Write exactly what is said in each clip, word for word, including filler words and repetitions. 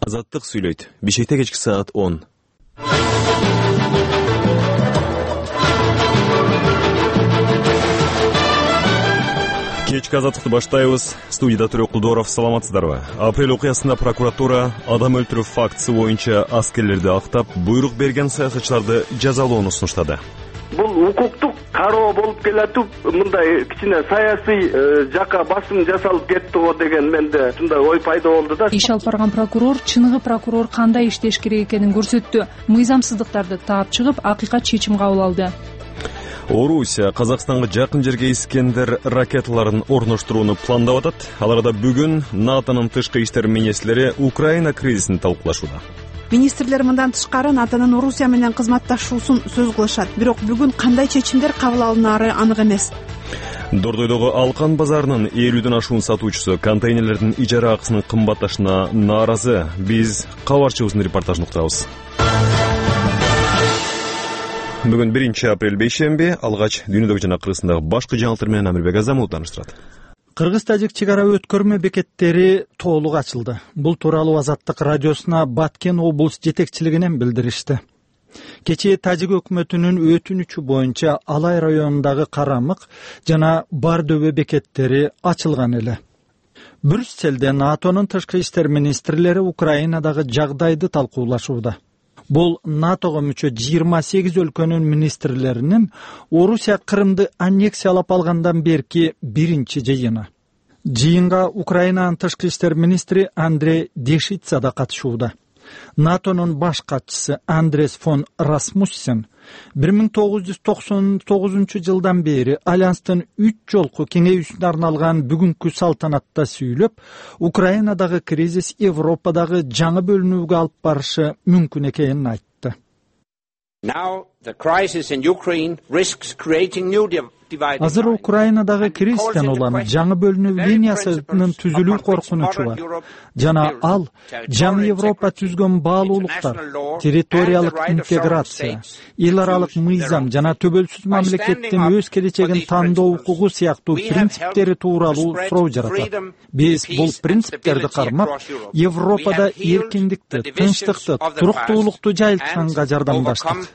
Азаттык сүйлөйт. Бишкекте кечки саат он. Кечки азаттыкты баштайбыз. Студияда Төрөк Кулдоров, саламатсыздарбы? Апрель окуясында прокуратура адам өлтүрүү фактысы боюнча аскерлерди актап, буйрук берген саясатчыларды жазалоону сунуштады. Бул укуктук кароо болуп келатып, мындай кичине саясий жака басым жасалып кетти го деген менде ушундай ой пайда болду да. Иш алып барган прокурор чыныгы прокурор кандай иштеш керек экенин көрсөттү. Мыйзамсыздыктарды таап чыгып, акыйкат чечим кабыл алды. Орусия Казакстанга жакын жерге Искендер ракеталарын орноштурууну пландап атат. Аларда бүгүн НАТОнун тышкы иштер министрлери Украина кризисин талкуулашууда. Министрлер мындан тышкары НАТОнун Орусия менен кызматташуусун сөз кылышат. Бирок бүгүн кандай чечимдер кабыл алынары анык эмес. Дордойдогу Алкан базарынын элүүдөн ашуун сатуучусу контейнерлердин ижара акысынын кымбатташына нааразы. Биз кабарчыбыздын репортажын уктабыз. Бүгүн биринчи апрель бейшемби, алгач дүйнөдөгү жана Кыргызстандагы башкы жаңылыктар менен Амирбек Азамов тааныштырат. Кыргыз-тажик чек ара өткөрмө бекеттери толук ачылды. Бул тууралуу Азаттык радиосуна Баткен облус жетекчилигинен билдиришти. Кечээ Тажик өкмөтүнүн өтүнүчү боюнча Алай районундагы Карамык жана Бардөбө бекеттери ачылган эле. Брюсселде НАТОнун тышкы иштер министрлери Украинадагы жагдайды талкуулашууда. Бул НАТОго мүчө жыйырма сегиз өлкөнүн министрлеринин Орусия Крымды аннексиялап алгандан берки биринчи жыйыны. Жыйынга Украинанын тышкы иштер министри Андрей Дешица да катышууда. НАТОнун баш катчысы Андрес фон Расмуссен бир миң тогуз жүз токсон тогузунчу жылдан бери Альянстын үч жолку кеңейүүсүнө арналган бүгүнкү салтанатта сүйлөп, Украинадагы кризис Европадагы жаңы бөлүнүүгө алып барышы мүмкүн экенин айтты. Азыр Украинадагы кризистен улам жаңы бөлүнүү линиясынын түзүлүү коркунучу бар. Жана ал жаңы Европа түзгөн баалуулуктар, территориялык интеграция, эл аралык мыйзам жана төбөлсүз мамлекеттин өз келечегин тандоо укугу сыяктуу принциптери тууралуу суроо жаратат. Биз бул принциптерди кармап, Европада эркиндикти, тынчтыкты, туруктуулукту жайылтканга жардамдаштык.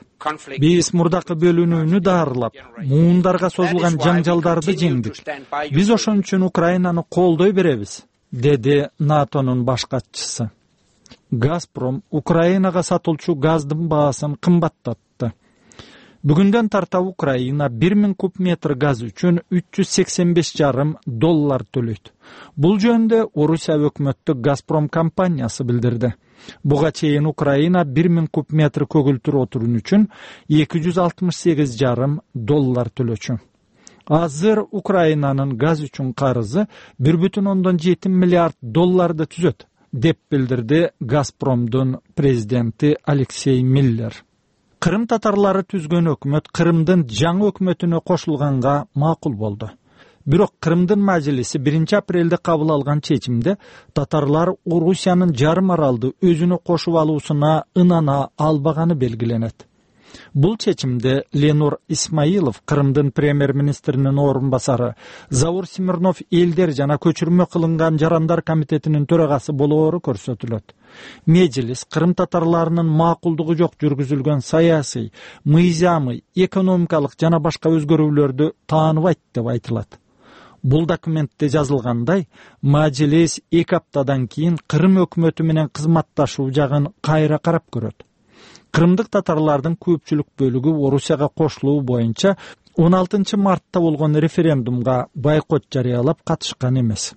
Биз мурдакы бөлүнүүнү даарылап, муундарга созулган жаңжалдарды жеңдик. Биз ошон үчүн Украинаны колдой беребиз, деди НАТОнун баш катчысы. Газпром Украинага сатылчу газдын баасын кымбаттатты. Бүгүндөн тарта Украина бир миң куб метр газ үчүн үч жүз сексен беш жарым доллар төлөйт. Бул жөнүндө Орусия өкмөттүк Газпром компаниясы билдирди. Буга чейин Украина бир миң куб метр көгүлтүр отурун үчүн эки жүз алтымыш сегиз жарым доллар төлөчү. Азыр Украинанын газ үчүн карызы бир бүтүн ондон жети миллиард долларды түзөт, деп билдирди Газпромдун президенти Алексей Миллер. Крым татарлары түзгөн өкмөт Крымдын жаңы өкмөтүнө кошулганга макул болду. Бирок Крымдын мажлиси биринчи апрелде кабыл алган чечимде татарлар Орусиянын жарым аралды өзүнө кошуп алуусуна ынана албаганы белгиленет. Бул чечимде Ленур Исмаилов, Крымдын премьер-министринин орун басары, Заур Смирнов элдер жана көчүрмө кылынган жарандар комитетинин төрагасы болоору көрсөтүлөт. Мejlis Крым татарларынын макулдугу жок жүргүзүлгөн саясий, мыйзамый, экономикалык жана башка өзгөрүүлөрдү тааныбайт деп айтылат. Бул документте жазылгандай, Мejlis эки аптадан кийин Крым өкмөтү менен кызматташуу жагын кайра карап көрөт. Крымдык татарлардын көпчүлүк бөлүгү Орусияга кошулуу боюнча он алтынчы мартта болгон референдумга бойкот жарыялап катышкан эмес.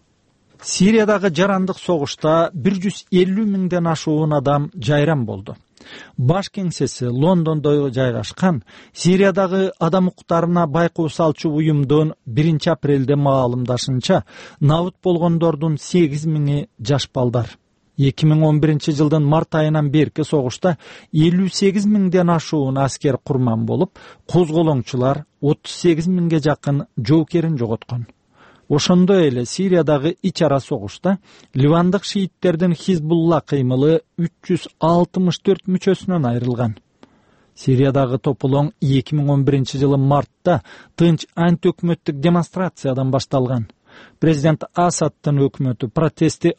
Сириядагы жарандык согушта бир жүз элүү миңден ашуун адам жайран болду. Баш кеңсеси Лондондо жайгашкан Сириядагы адам укуктарына байкоо салчу уюмдун биринчи апрелде маалымдашынча, набыт болгондордун сегиз миңи жаш балдар. эки миң он биринчи жылдын март айынан берки согушта элүү сегиз миңден ашуун аскер курман болуп, козголоңчулар отуз сегиз миңге жакын жоокерин жоготкон. Ошондой эле Сириядагы ич ара согушта ливандык шииттердин Хизбулла кыймылы үч жүз алтымыш төрт мүчөсүнөн айрылган. Сириядагы тополоң эки миң он биринчи жылы мартта тынч антиөкмөттүк демонстрациядан башталган. Президент Асадтын өкмөтү протести